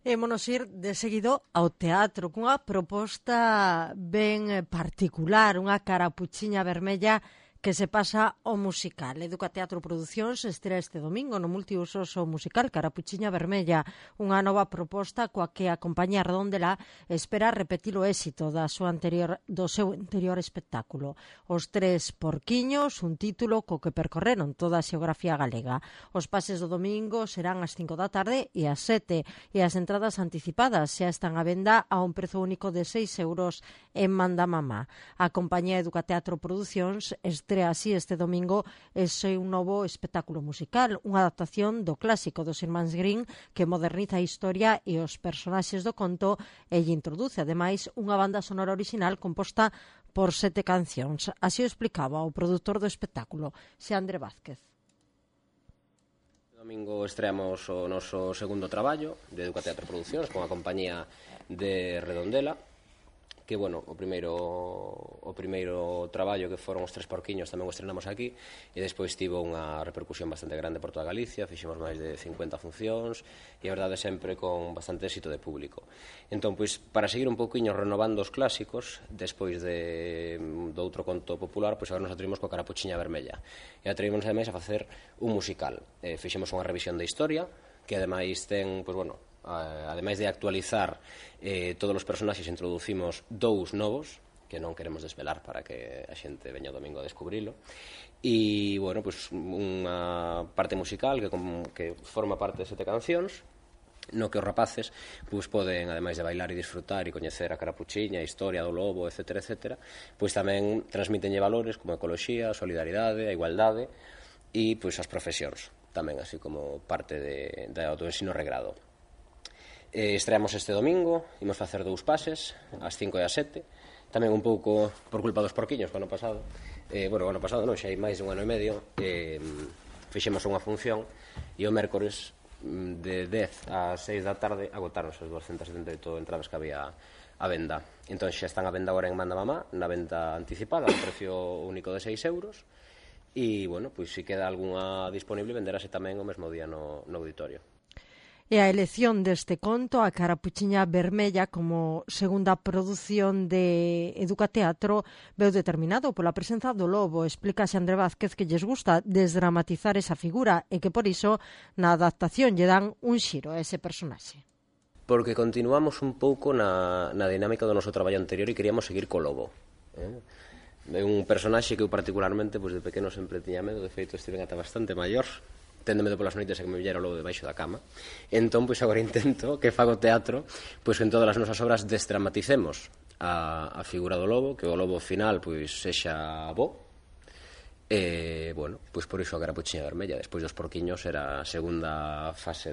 Émonos ir de seguido ao teatro cunha proposta ben particular, unha carapuchiña vermella que se pasa ao musical. Educa Teatro Producións estrea este domingo no multiusos o musical Carapuchiña Vermella, unha nova proposta coa que a compañía Redondela espera repetir o éxito do seu anterior espectáculo. Os Tres Porquiños, un título co que percorreron toda a xeografía galega. Os pases do domingo serán ás 5 da tarde e ás 7, e as entradas anticipadas xa están á venda a un prezo único de 6 euros en Mandamamá. A compañía Educa Teatro Producións estrea así este domingo ese un novo espectáculo musical, unha adaptación do clásico dos irmáns Grimm que moderniza a historia e os personaxes do conto e lle introduce, ademais, unha banda sonora original composta por 7 cancións. Así o explicaba o produtor do espectáculo, Xandre Vázquez. Domingo estreamos o noso segundo traballo de Educa Teatro Producións con a compañía de Redondela, que, bueno, o primeiro traballo que foron os Tres Porquiños tamén o estrenamos aquí, e despois tivo unha repercusión bastante grande por toda Galicia, fixemos máis de 50 funcións e a verdade sempre con bastante éxito de público. Entón, pois, para seguir un pouquiño renovando os clásicos, despois do outro conto popular, pois agora nos atrevimos coa Carapuchiña Vermella e atrevimos ademais a facer un musical. Fixemos unha revisión da historia que ademais ten, pois, bueno, ademais de actualizar todos os personaxes, introducimos 2 novos que non queremos desvelar para que a xente veña o domingo a descubrilo, e, bueno, pues, unha parte musical que forma parte de 7 cancións no que os rapaces pois poden, ademais de bailar e disfrutar e coñecer a carapuchiña, a historia do lobo, etc., etc., pois tamén transmitenlle valores como a ecoloxía, a solidaridade, a igualdade e pois as profesións tamén, así como parte do ensino regrado. Estreamos este domingo, imos facer 2 pases, ás 5 e ás 7, tamén un pouco por culpa dos porquiños, que ano pasado, o ano pasado non, xa hai máis de un ano e medio, fixemos unha función e o mércores de 10 a 6 da tarde agotaron as 278 entradas que había a venda. Entón xa están a venda agora en Mandamamá, na venda anticipada, a precio único de 6 euros, e, bueno, pois se queda algunha disponible, venderase tamén o mesmo día no auditorio. E a elección deste conto, a Carapuchiña Vermella, como segunda produción de Educa Teatro, veu determinado pola presenza do lobo. Explica Xandre Vázquez que lles gusta desdramatizar esa figura e que por iso na adaptación lle dan un xiro a ese personaxe. Porque continuamos un pouco na dinámica do noso traballo anterior e queríamos seguir co lobo. É un personaxe que eu particularmente de pequeno sempre tiña medo, de feito estiven ata bastante maior, tendo medo polas noites a que me villera o lobo debaixo da cama. Entón, pois agora intento que fago teatro, pois en todas as nosas obras desdramaticemos a figura do lobo, que o lobo final pois sexa bo. E, bueno, pois por iso a Carapuchiña Vermella, despois dos porquiños, era a segunda fase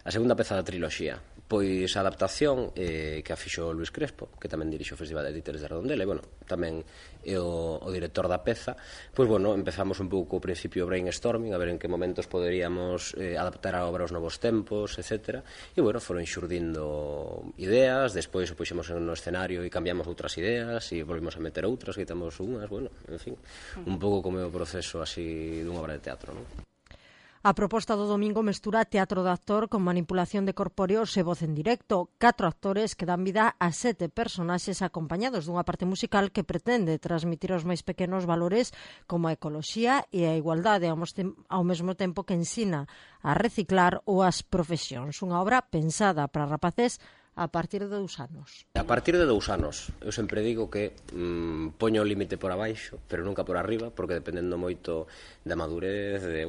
a segunda peza da triloxía. Pois a adaptación que a fixo Luis Crespo, que tamén dirixe o Festival de Editores de Redondela, e, bueno, tamén é o director da peza. Pois, bueno, empezamos un pouco ao principio brainstorming, a ver en que momentos poderíamos adaptar a obra aos novos tempos, etc. E, bueno, foron xurdindo ideas, despois o puxemos no escenario e cambiamos outras ideas, e volvimos a meter outras, quitamos unhas, bueno, en fin, un pouco como é o proceso así dunha obra de teatro, non? A proposta do domingo mestura teatro de actor con manipulación de corpóreos e voz en directo. 4 actores que dan vida a 7 personaxes acompañados dunha parte musical que pretende transmitir aos máis pequenos valores como a ecoloxía e a igualdade, ao mesmo tempo que ensina a reciclar ou as profesións. Unha obra pensada para rapaces a partir de 2 anos. A partir de 2 anos. Eu sempre digo que poño o límite por abaixo, pero nunca por arriba, porque dependendo moito da madurez, de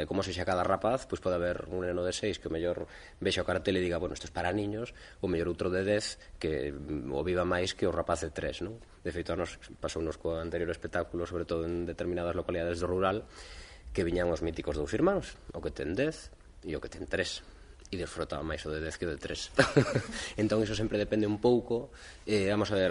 como sexa cada rapaz, pois pode haber un neno de 6 que o mellor vexa o cartel e diga, bueno, isto é para niños, ou mellor outro de 10 que o viva máis que o rapaz de 3, non? De feito, a nos pasounos co anterior espectáculo, sobre todo en determinadas localidades do rural, que viñan os míticos 2 irmáns, o que ten 10 e o que ten 3. E desfrotaba máis o de 10 que o de 3. Entón, iso sempre depende un pouco. Vamos a ver,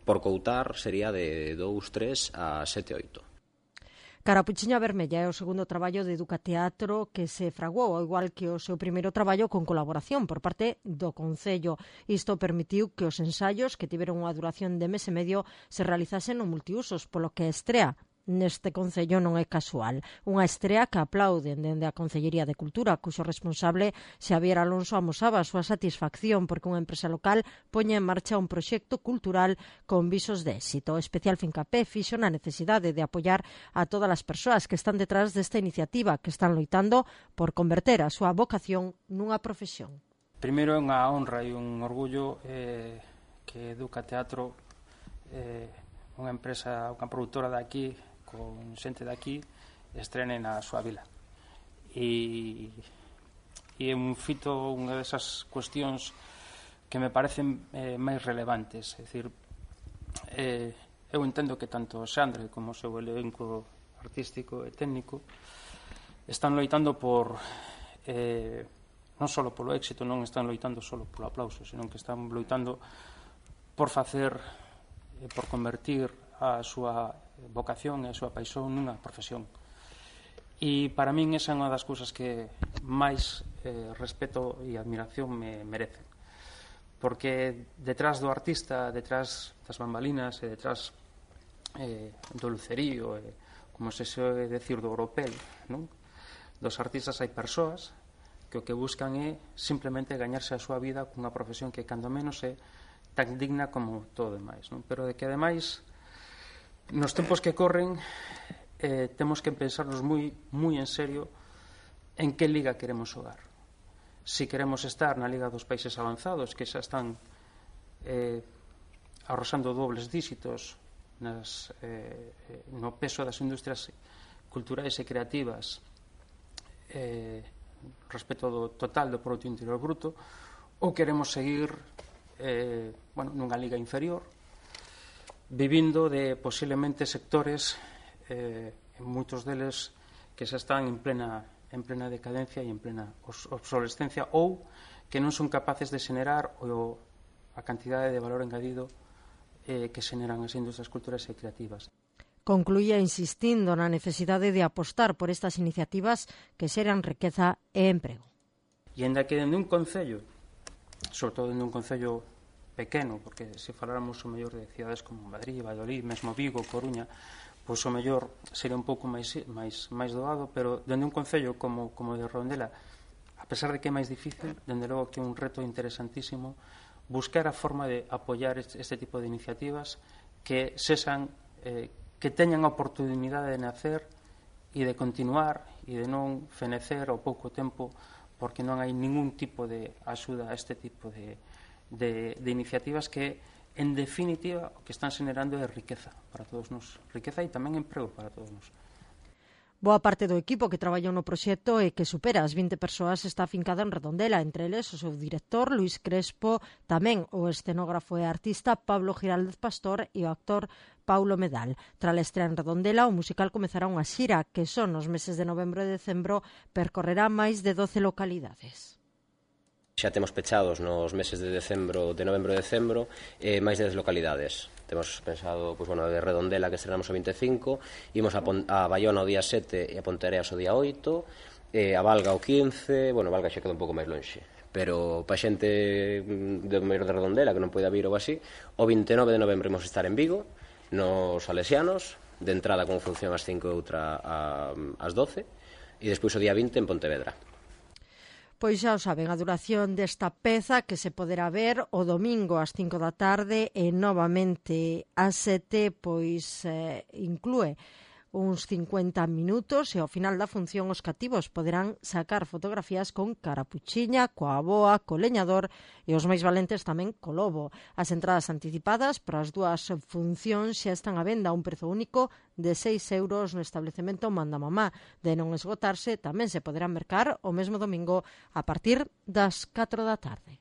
por coutar, sería de 2, 3 a 7, 8. Carapuchiña Vermella é o segundo traballo de Educa Teatro que se fraguou, ao igual que o seu primeiro traballo, con colaboración por parte do Concello. Isto permitiu que os ensaios, que tiveron unha duración de mes e medio, se realizasen no multiusos, polo que a estrea neste Concello non é casual. Unha estrea que aplauden dende a Concellería de Cultura, cuxo responsable Xavier Alonso amosaba a súa satisfacción porque unha empresa local poña en marcha un proxecto cultural con visos de éxito. O especial fincapé fixo na necesidade de apoiar a todas as persoas que están detrás desta iniciativa, que están loitando por converter a súa vocación nunha profesión. Primeiro é unha honra e un orgullo que Educa Teatro, unha empresa, unha produtora de aquí, con xente de aquí, estrene na súa vila. E é un fito, unha desas cuestións que me parecen máis relevantes. É dicir, eu entendo que tanto Xandre como o seu elenco artístico e técnico están loitando por non só polo éxito, non están loitando só polo aplauso, senón que están loitando por facer, por convertir a súa vocación e a súa paixón nunha profesión. E para min esa é unha das cousas que máis respeto e admiración me merecen, porque detrás do artista, detrás das bambalinas e detrás do lucerío, como se soe decir, do oropel, non? Dos artistas hai persoas que o que buscan é simplemente gañarse a súa vida cunha profesión que cando menos é tan digna como todo demais, non? Pero de que ademais nos tempos que corren temos que pensarnos moi en serio en que liga queremos xogar. Si queremos estar na liga dos países avanzados, que xa están arrosando dobles díxitos no peso das industrias culturais e creativas respecto do total do Produto Interior Bruto, ou queremos seguir nunha liga inferior, vivindo de posiblemente sectores, moitos deles que xa están en plena decadencia e en plena obsolescencia, ou que non son capaces de xenerar a cantidade de valor engadido que xeneran as industrias culturais e creativas. Concluía insistindo na necesidade de apostar por estas iniciativas que xeran riqueza e emprego. E ainda que dende un concello, sobre todo dende un concello pequeno, porque se faláramos o mellor de cidades como Madrid, Valladolid, mesmo Vigo, Coruña, pois o mellor sería un pouco máis doado, pero dende un concello como de Redondela, a pesar de que é máis difícil, dende logo que é un reto interesantísimo buscar a forma de apoiar este tipo de iniciativas que sexan que teñan a oportunidade de nacer e de continuar e de non fenecer ao pouco tempo porque non hai ningún tipo de axuda a este tipo de iniciativas que, en definitiva, o que están xenerando é riqueza para todos nós. Riqueza e tamén emprego para todos nós. Boa parte do equipo que traballou no proxecto e que supera as 20 persoas está afincada en Redondela, entre eles o seu director Luis Crespo, tamén o escenógrafo e artista Pablo Giraldez Pastor e o actor Paulo Medal. Tras a estrea en Redondela, o musical comezará unha xira que son nos meses de novembro e decembro, percorrerá máis de 12 localidades. Xa temos pechados nos meses de novembro e decembro, máis de 10 localidades. Temos pensado, de Redondela, que estrenamos o 25, imos a Baiona o día 7 e a Ponteareas o día 8, a Valga o 15, Valga xa queda un pouco máis lonxe, pero para xente do medio de Redondela que non poida vir ou así, o 29 de novembro imos estar en Vigo, nos Salesianos, de entrada con función ás 5 e outra ás 12, e despois o día 20 en Pontevedra. Pois xa o saben, a duración desta peza que se poderá ver o domingo ás 5 da tarde e novamente ás 7, pois inclúe uns 50 minutos e ao final da función os cativos poderán sacar fotografías con carapuchiña, coa boa, co leñador e os máis valentes tamén co lobo. As entradas anticipadas para as dúas funcións xa están a venda a un prezo único de 6 euros no establecemento Manda Mamá. De non esgotarse, tamén se poderán mercar o mesmo domingo a partir das 4 da tarde.